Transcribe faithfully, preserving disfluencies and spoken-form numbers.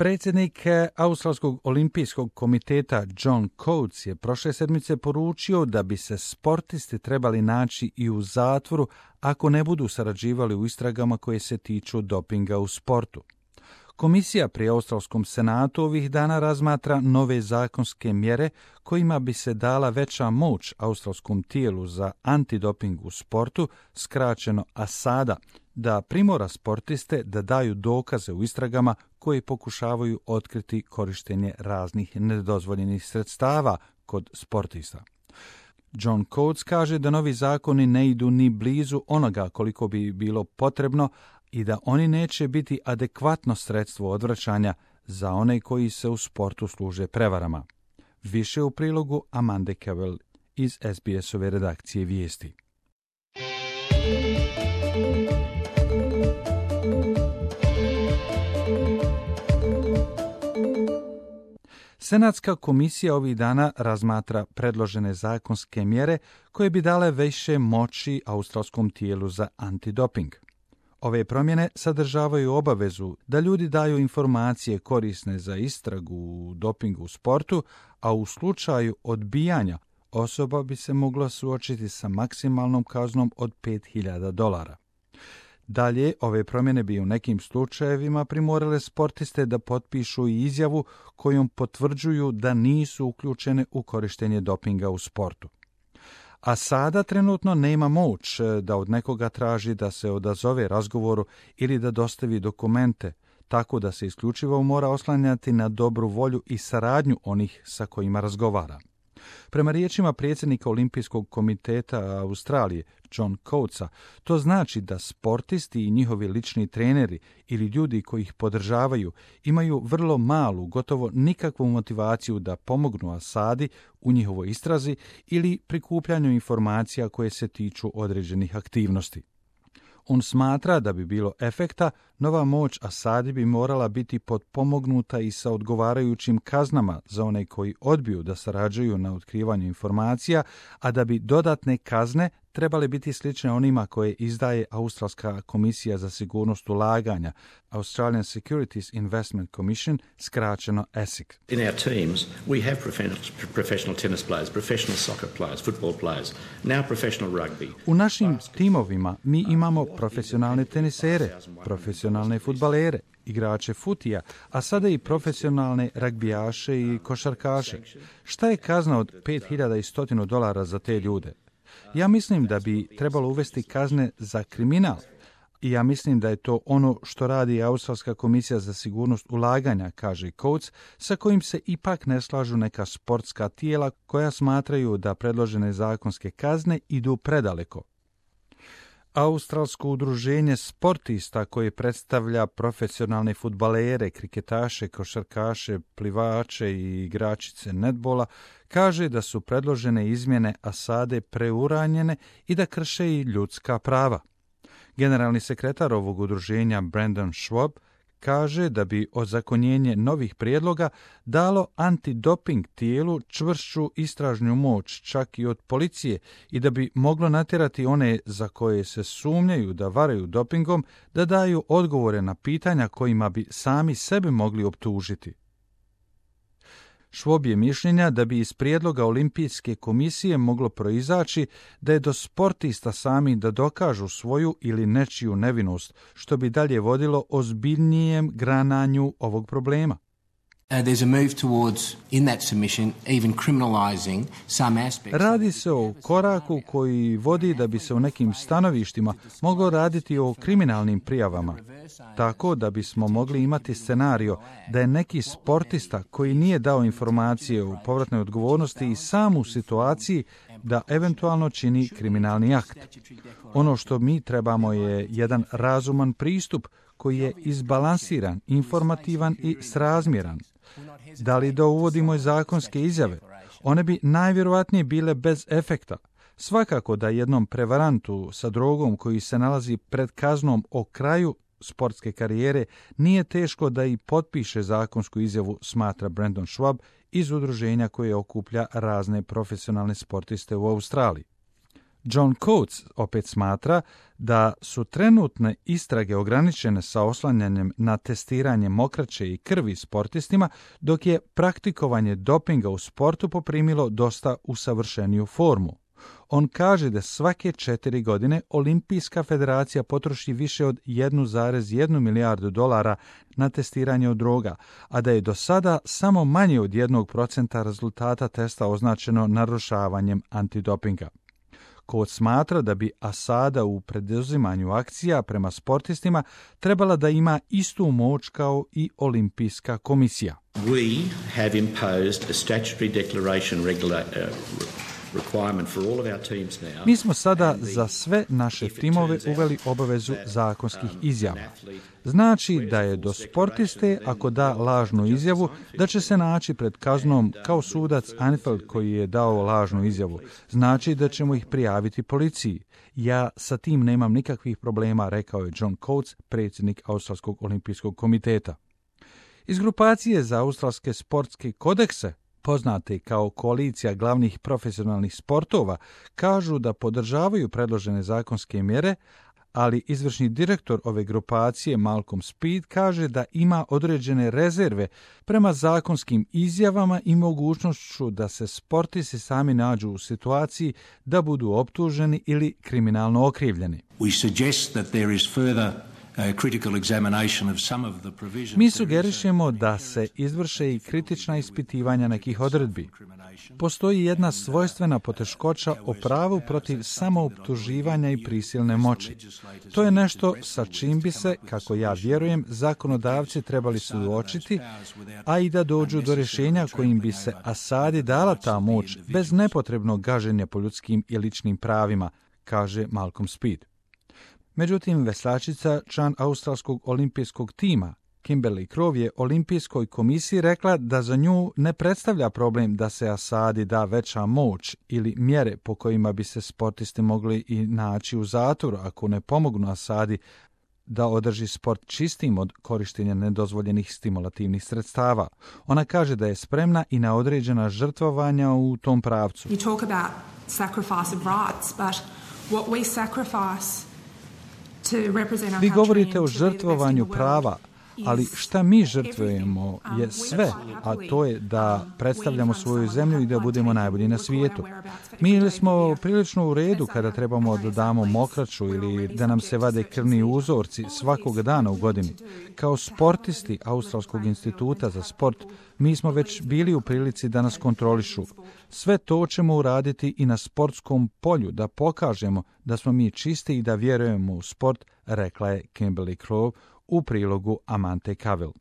Predsjednik Australskog olimpijskog komiteta John Coates je prošle sedmice poručio da bi se sportisti trebali naći i u zatvoru ako ne budu sarađivali u istragama koje se tiču dopinga u sportu. Komisija pri Australskom senatu ovih dana razmatra nove zakonske mjere kojima bi se dala veća moć australskom tijelu za antidoping u sportu, skraćeno ASADA, da primora sportiste da daju dokaze u istragama koji pokušavaju otkriti korištenje raznih nedozvoljenih sredstava kod sportista. John Coates kaže da novi zakoni ne idu ni blizu onoga koliko bi bilo potrebno i da oni neće biti adekvatno sredstvo odvraćanja za one koji se u sportu služe prevarama. Više u prilogu Amande Cavell iz S B S-ove redakcije vijesti. Senatska komisija ovih dana razmatra predložene zakonske mjere koje bi dale više moći australskom tijelu za antidoping. Ove promjene sadržavaju obavezu da ljudi daju informacije korisne za istragu u dopingu u sportu, a u slučaju odbijanja osoba bi se mogla suočiti sa maksimalnom kaznom od pet hiljada dolara. Dalje, ove promjene bi u nekim slučajevima primorale sportiste da potpišu i izjavu kojom potvrđuju da nisu uključene u korištenje dopinga u sportu. A sada trenutno nema moć da od nekoga traži da se odazove razgovoru ili da dostavi dokumente, tako da se isključivo mora oslanjati na dobru volju i saradnju onih sa kojima razgovara. Prema riječima predsjednika Olimpijskog komiteta Australije, John Coatesa, to znači da sportisti i njihovi lični treneri ili ljudi koji ih podržavaju imaju vrlo malu, gotovo nikakvu motivaciju da pomognu ASADI u njihovoj istrazi ili prikupljanju informacija koje se tiču određenih aktivnosti. On smatra da bi bilo efekta, nova moć ASADI bi morala biti potpomognuta i sa odgovarajućim kaznama za one koji odbiju da sarađuju na otkrivanju informacija, a da bi dodatne kazne trebale biti slične onima koje izdaje Australska komisija za sigurnost ulaganja, Australian Securities Investment Commission, skraćeno A S I C. In our teams, we have professional tennis players, professional soccer players, football players, now professional rugby. U našim timovima mi imamo profesionalne tenisere, profesionalne fudbalere, igrače futija, a sada i profesionalne ragbijaše i košarkaše. Šta je kazna od pet hiljada sto dolara za te ljude? Ja mislim da bi trebalo uvesti kazne za kriminal i ja mislim da je to ono što radi Australska komisija za sigurnost ulaganja, kaže Coates, sa kojim se ipak ne slažu neka sportska tijela koja smatraju da predložene zakonske kazne idu predaleko. Australsko udruženje sportista koje predstavlja profesionalne fudbalere, kriketaše, košarkaše, plivače i igračice netbola kaže da su predložene izmjene ASADE preuranjene i da krše i ljudska prava. Generalni sekretar ovog udruženja Brendan Schwab kaže da bi ozakonjenje novih prijedloga dalo antidoping tijelu čvršću istražnju moć čak i od policije i da bi moglo natjerati one za koje se sumnjaju da varaju dopingom da daju odgovore na pitanja kojima bi sami sebe mogli optužiti. Schwab je mišljenja da bi iz prijedloga Olimpijske komisije moglo proizaći da je do sportista sami da dokažu svoju ili nečiju nevinost, što bi dalje vodilo ozbiljnijem grananju ovog problema. Radi se o koraku koji vodi da bi se u nekim stanovištima moglo raditi o kriminalnim prijavama, tako da bismo mogli imati scenario da je neki sportista koji nije dao informacije o povratnoj odgovornosti i sam u situaciji da eventualno čini kriminalni akt. Ono što mi trebamo je jedan razuman pristup koji je izbalansiran, informativan i srazmjeran. Da li da uvodimo zakonske izjave? One bi najvjerojatnije bile bez efekta. Svakako da jednom prevarantu sa drogom koji se nalazi pred kaznom o kraju sportske karijere nije teško da i potpiše zakonsku izjavu, smatra Brendan Schwab iz udruženja koje okuplja razne profesionalne sportiste u Australiji. John Coates opet smatra da su trenutne istrage ograničene sa oslanjanjem na testiranje mokraće i krvi sportistima, dok je praktikovanje dopinga u sportu poprimilo dosta usavršeniju formu. On kaže da svake četiri godine Olimpijska federacija potroši više od jedan zarez jedan milijardu dolara na testiranje od droga, a da je do sada samo manje od jednog procenta rezultata testa označeno narušavanjem antidopinga. Coates smatra da bi Asada u preduzimanju akcija prema sportistima trebala da ima istu moć kao i Olimpijska komisija. We have imposed a statutory declaration regula- uh, requirement for all of our teams now. Mi smo sada za sve naše timove uveli obavezu zakonskih izjava. Znači da je do sportiste, ako da lažnu izjavu, da će se naći pred kaznom kao sudac Anfield koji je dao lažnu izjavu. Znači da ćemo ih prijaviti policiji. Ja sa tim nemam nikakvih problema, rekao je John Coates, predsjednik Australskog olimpijskog komiteta. Iz grupacije za australske sportske kodekse, poznate kao koalicija glavnih profesionalnih sportova, kažu da podržavaju predložene zakonske mjere, ali izvršni direktor ove grupacije Malcolm Speed kaže da ima određene rezerve prema zakonskim izjavama i mogućnošću da se sportisti sami nađu u situaciji da budu optuženi ili kriminalno okrivljeni. We suggest that there is further Mi sugerišemo da se izvrše i kritična ispitivanja nekih odredbi. Postoji jedna svojstvena poteškoća o pravu protiv samooptuživanja i prisilne moći. To je nešto sa čim bi se, kako ja vjerujem, zakonodavci trebali suočiti, a i da dođu do rješenja kojim bi se Asadi dala ta moć bez nepotrebnog gaženja po ljudskim i ličnim pravima, kaže Malcolm Speed. Međutim, veslačica, član australskog olimpijskog tima, Kimberly Crowe, je Olimpijskoj komisiji rekla da za nju ne predstavlja problem da se Asadi da veća moć ili mjere po kojima bi se sportisti mogli i naći u zatvoru ako ne pomognu Asadi da održi sport čistim od korištenja nedozvoljenih stimulativnih sredstava. Ona kaže da je spremna i na određena žrtvovanja u tom pravcu. You talk about sacrifice of rights, but what we sacrifice Vi govorite o žrtvovanju prava, ali šta mi žrtvujemo je sve, a to je da predstavljamo svoju zemlju i da budemo najbolji na svijetu. Mi ili smo prilično u redu kada trebamo da damo mokraću ili da nam se vade krvni uzorci svakog dana u godini. Kao sportisti Australskog instituta za sport, mi smo već bili u prilici da nas kontrolišu. Sve to ćemo uraditi i na sportskom polju, da pokažemo da smo mi čisti i da vjerujemo u sport, rekla je Kimberly Crowe u prilogu Amante Cavell.